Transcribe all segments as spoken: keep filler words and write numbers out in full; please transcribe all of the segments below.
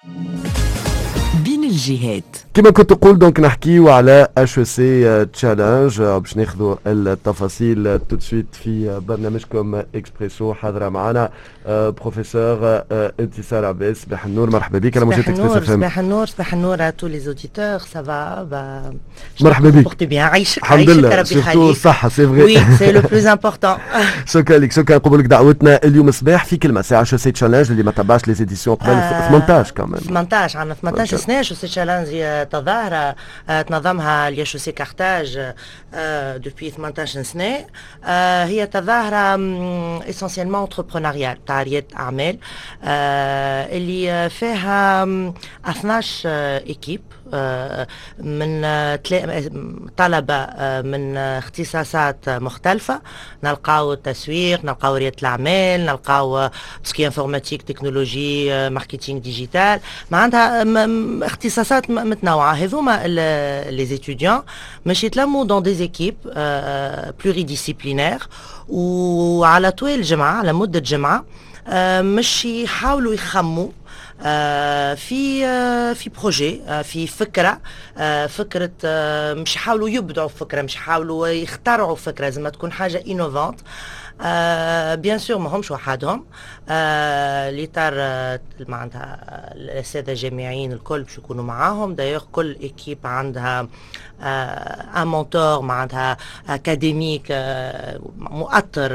بين الجهات. كما كنت تقول، donc نحكيو على HEC Challenge، باش ناخذوا التفاصيل tout de suite في برنامجكم اكسبريسو. حاضره معنا بروفيسور انتصار عباس، صباح النور، مرحبا بك على موجات اكسبريس اف ام. صباح النور، صباح النور à tous les auditeurs، ça va؟ مرحبا بك. bien، عايشك. الحمد لله، surtout الصحة، c'est vrai. oui، c'est le plus important. شكرا لك، شكرا قبولك دعوتنا اليوم الصباح. في كلمة ساعة، HEC Challenge، اللي ما تبعش les éditions قبل، ثمنطاش كمان. ثمنطاش، عندنا ثمنطاش سنة HEC Challenge، هي تظاهرة تنظمها l'IHEC Carthage depuis ثمنطاش سنة. هي تظاهرة essentiellement entrepreneuriale، تاع ريادة أعمال، اللي فيها اثناش équipe من طلبة من اختصاصات مختلفة، نلقاو التسويق، نلقاو ريادة الأعمال، نلقاو tout ce qui est informatique، technologie، marketing digital، معناتها اختصاصات متنوعة. هذوما les étudiants مش يتلموا dans des équipes pluridisciplinaires، وعلى طول الجمعة، على مدة جمعة، مش يحاولوا يخموا في في projet، في فكره، فكره مش يحاولوا يبدعوا فكره، مش يحاولوا يخترعوا فكره، لازم تكون حاجة innovante. bien sûr ما همش وحدهم، الاطار معناتها الاساتذة الجامعيين الكل باش يكونوا معاهم. d'ailleurs كل équipe عندها un mentor، معناتها académique، مؤطر،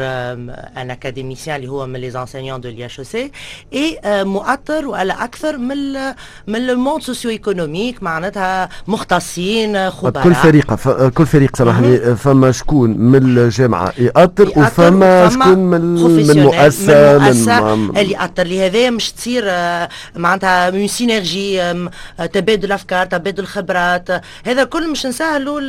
un académicien اللي هو من les enseignants de l'IHEC، et مؤطر ولا اكثر من من le monde socio-économique، معناتها مختصين، خبراء. كل فريق كل فريق، سامحني، فما شكون من الجامعة يأطر وفما شكون من من مؤسسه؟ من مؤسسة اللي يأطر. لهذا مش تصير معناتها une synergie، تبادل افكار، تبادل خبرات، هذا كل مش نسهلوا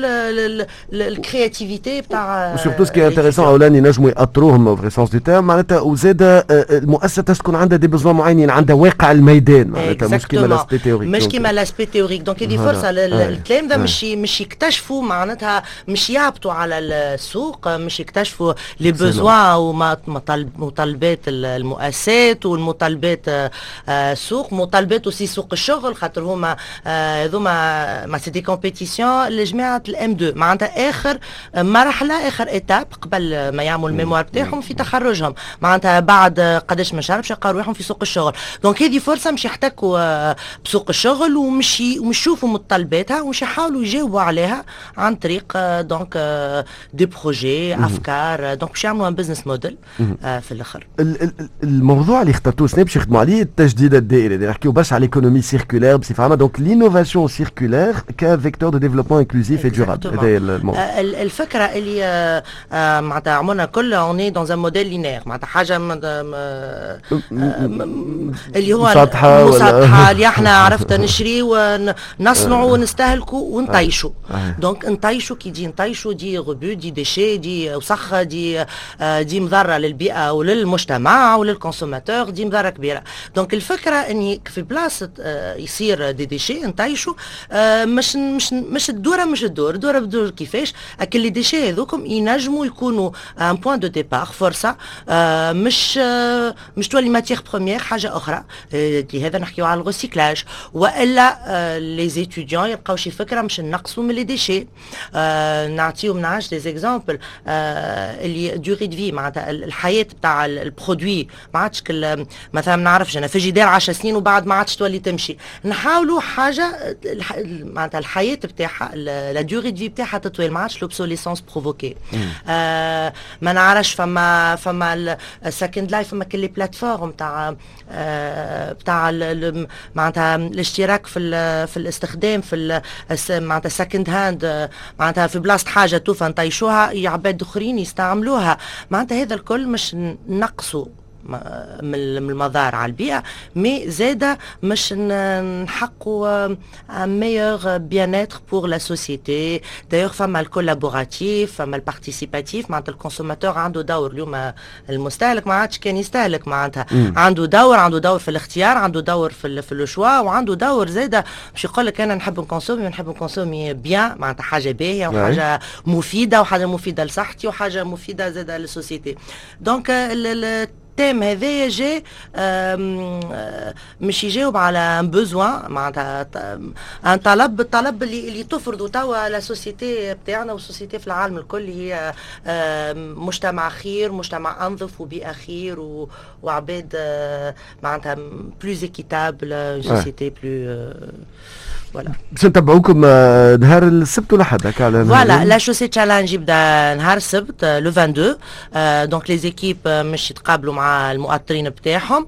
ال créativité بتاع و surtout ce qui est intéressant، اولا ينجموا يأطروهم vrai sens du terme معناتها، وزاد المؤسسة تكون عندها des besoins معينين، عندها واقع الميدان، معناتها مش كيما l'aspect théorique. مش كيما l'aspect théorique. donc هذه فرصة للتلامذه مش مش يكتشفوا، معناتها مش يهبطوا على السوق، مش يكتشفوا les besoins ومطالبات المؤسسات والمطالبات السوق، مطالبات aussi سوق الشغل، خاطر هما هذوما ما c'est des compétitions لجماعة ال إم تو، معناتها اخر مرحله، اخر étape قبل ما يعملوا ال mémoire بتاعهم في تخرجهم، معناتها بعد قداش من شهر باش يلقاو روحهم في سوق الشغل. donc هذه فرصة مش يحتكوا بسوق الشغل ومش ومش يشوفوا متطلباتها ومش يحاولوا يجاوبوا عليها عن طريق donc des projets، افكار، donc باش يعملوا un business model في الاخر. الموضوع اللي اخترتوه سنة باش يخدموا عليه، التجديد الدائري، اللي نحكيو برشا على l'économie circulaire بصفة عامه، donc l'innovation circulaire ك vecteur de développement inclusif et durable، هذا الموضوع. الفكرة اللي معناتها عمرنا كل on est dans un modèle linéaire، معناتها حاجة اللي هو مسطحه. مسطحه، اللي احنا عرفت نشري ونصنعوا ونستهلكوا ونطيشوا. donc نطيشوا، qui dit نطيشوا dit rebut، dit déchet، dit وسخ، dit dit مضرة للبيئة وللمجتمع ولل consommateur، dit مضرة كبيره. donc الفكرة اني في بلاصة يصير des déchets نطيشوا، مش مش مش الدوره، مش الدور الدورة بدور كيفاش اكل les déchets هذوكم ينجموا يكونوا un point de départ، فرصة مش مش تولي matière première، حاجة اخرى. لهذا نحكيو على ال recyclage، والا les étudiants يلقاو شي فكرة مش نقصوا من les déchets. نعطيو من عاش des exemples اللي durée de vie، معناتها الحياة بتاع ال produit ما عادش كل، مثلا ما نعرفش انا، فيجيدير عشر سنين وبعد ما عادش تولي تمشي. نحاولوا حاجة معناتها الحياة بتاعها، la durée de vie بتاعها تطويل، ما عادش l'obsolescence provoquée. آه ما نعرفش، فما فما ال Second Life، فما كل les plateformes تاع آه بتاع معناتها الاشتراك في في الاستخدام، في معناتها second hand، معناتها في بلاصة حاجة توفى نطيشوها، عباد اخرين يستعملوها. معناتها هذا الكل مش نقصوا من المضار على البيئة، mais زادة مش نحققوا un meilleur bien-être pour la société. d'ailleurs فما ال collaboratif، فما ال participatif، معناتها ال consommateur عنده دور اليوم. المستهلك ما عادش كان يستهلك، معناتها عنده دور، عنده دور في الاختيار، عنده دور في في le choix، وعنده دور زاده باش يقول لك انا نحب ن consommer ونحب ن consommer bien، معناتها حاجة باهيه وحاجه مفيده، وحاجه مفيدة لصحتي وحاجه مفيدة زاده لل société. donc thème هذايا جا مش يجاوب على un besoin، معناتها un طلب، الطلب اللي اللي تفرضوا توا la société بتاعنا وال société في العالم الكل، هي مجتمع خير، مجتمع انظف وبيئه خير وعباد معناتها plus équitable، société plus، voilà. باش نتبعوكم نهار السبت ولا حد هكا على voilà، l'HEC Challenge يبدا نهار السبت le vingt-deux، donc les équipes مش يتقابلوا مع المؤطرين بتاعهم،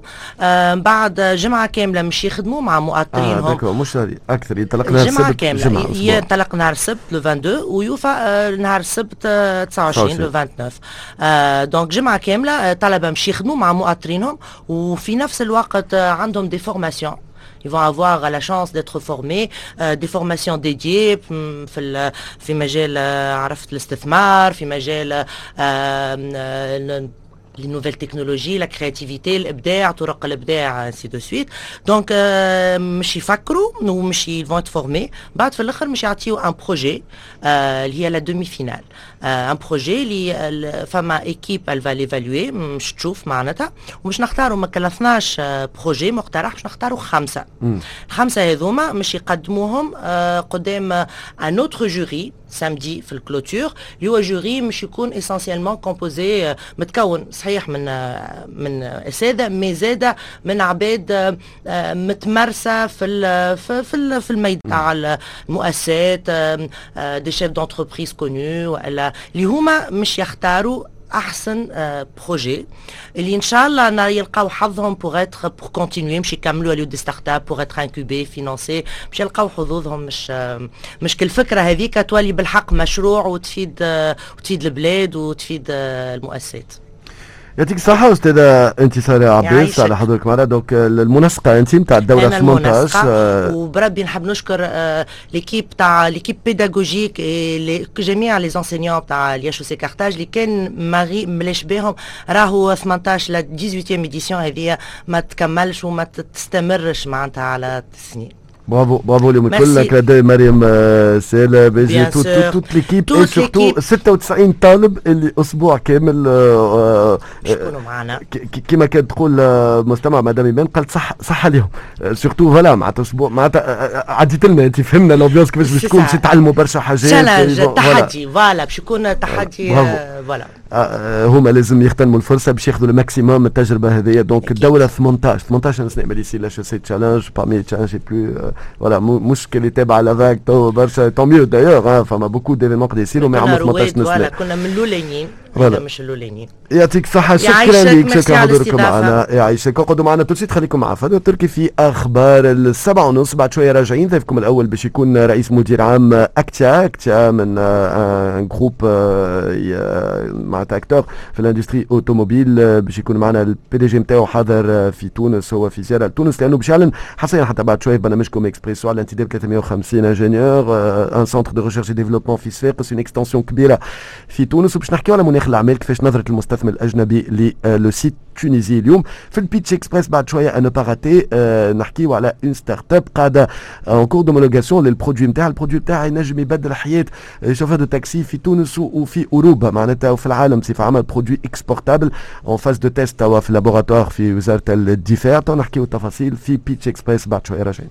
بعد جمعه كاملة مش يخدموا مع مؤطرينهم. اه d'accord، مش اكثر، ينطلق نهار السبت. كاملة جمعه ينطلق نهار السبت le vingt-deux ويوفى نهار السبت تسعة وعشرين le vingt-neuf. donc جمعه كاملة طلبه مش يخدموا مع مؤطرينهم، وفي نفس الوقت عندهم des formations، ils vont avoir la chance d'être formés، euh, des formations dédiées في في مجال عرفت الاستثمار، في مجال les nouvelles technologies، la créativité، الابداع، طرق الابداع، ainsi de suite. donc مش يفكروا ومش ils vont être formés. بعد في الاخر مش يعطيو un projet اللي هي la demi-finale، un projet اللي فما équipe elle va l'évaluer، مش تشوف معناتها، ومش نختاروا من اثناش projet مقترح مش نختاروا خمسه. الخمسة هذوما مش يقدموهم قدام un autre jury samedi في ال clôture، اللي هو jury مش يكون essentiellement composé، متكون صحيح من من اساتذه، mais زاده من عباد متمرسه في في في الميدان تاع المؤسسات، des chefs d'entreprise connus، والا اللي هما مش يختاروا احسن projet اللي ان شاء الله يلقاو حظهم pour être pour continuer، مش يكملوا يوليو des startups pour être incubés، financés، باش يلقاو حظوظهم، مش مش كل فكرة هذيك تولي بالحق مشروع وتفيد وتفيد البلاد وتفيد المؤسسات. يعطيك الصحة أستاذة انتصار عباس على حضورك معنا، donc المنسقة أنت نتاع الدورة ثمنطاش. وبربي نحب نشكر l'équipe تاع l'équipe pédagogique، جميع les enseignants تاع l'IHEC Carthage، اللي كان ماغي ملاش بهم راهو ثمنطاش la dix-huitième édition هذه ما تكملش وما تستمرش معناتها على السنين. bravo bravo اليوم الكل كلادي مريم سالة باجي toute l'équipe et surtout ستة وتسعين طالب اللي اسبوع كامل يكونوا معنا. كما كانت تقول مستمع مدام ايمان، قالت صح صح ليهم surtout، voilà، معناتها اسبوع معناتها عديت لنا انت، فهمنا l'ambiance كيفاش باش تكون، باش يتعلموا برشا حاجات. challenge، تحدي، voilà، باش يكون تحدي، voilà. هما لازم يغتنموا الفرصة باش ياخذوا ال maximum التجربة هذه. donc الدورة ثمنطاش، ثمنطاش سنة ملي يصير l'HEC Challenge، parmi les challenges plus، voilà، مش اللي تابع la vague تو برشا، tant mieux d'ailleurs، فما beaucoup d'événements قد يصيروا، ما عمروا ثمنطاش سنه. كنا من الاولانيين، voilà، مش الاولانيين. يعطيك الصحة، شكرا لك، شكرا حضوركم معنا، يعيشك. اقعدوا معنا tout de suite، خليكم مع فادو التركي في اخبار السبعة ونص. بعد شوية راجعين، ضيفكم الاول باش يكون رئيس مدير عام اكتيا، اكتيا من un groupe معناتها acteur في l'industrie automobile، باش يكون معنا ال PDG نتاعو حاضر في تونس، هو في زيارة لتونس، لانه باش يعلن حصريا حتى بعد شوية برنامجكم اكسبريسو على انتداب ثلاثمية وخمسين ingénieurs، un centre de recherche développement في صفاقس، une extension كبيرة في تونس، وباش نحكيو على مناخ الاعمال، كيفاش نظره المستثمر الاجنبي le site Tunisie. اليوم في ال Pitch Express بعد شوية à ne pas rater، نحكيو على une startup قاعدة en cours d'homologation لل produit نتاعها. ال produit نتاعها ينجم يبدل حياة chauffeur de taxi في تونس وفي اوروبا معناتها وفي العالم بصفة عامه، produit exportable en phase de test توا في laboratoire في وزارة الدفاع. تو نحكيو التفاصيل في Pitch Express بعد شوية راجعين.